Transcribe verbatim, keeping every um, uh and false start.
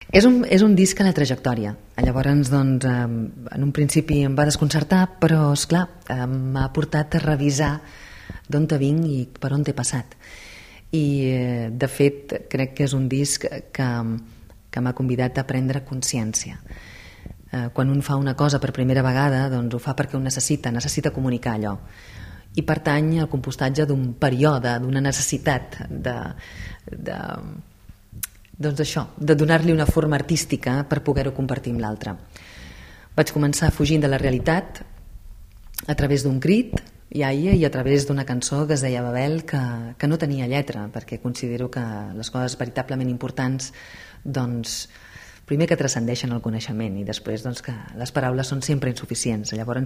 És un, és un disc a la trajectòria. Llavors, doncs, eh, en un principi em va desconcertar, però, esclar, eh, m'ha portat a revisar d'on te vinc i per on t'he passat. I, eh, de fet, crec que és un disc que, que m'ha convidat a prendre consciència. Eh, quan un fa una cosa per primera vegada, doncs ho fa perquè ho necessita, necessita comunicar allò. I pertany al compostatge d'un període, d'una necessitat de... de doncs d'això, de donar-li una forma artística per poder-ho compartir amb l'altre. Vaig començar fugint de la realitat a través d'un crit, iaia, i a través d'una cançó que es deia Babel, que, que no tenia lletra, perquè considero que les coses veritablement importants, doncs, primer que transcendeixen el coneixement i després doncs, que les paraules són sempre insuficients. Llavors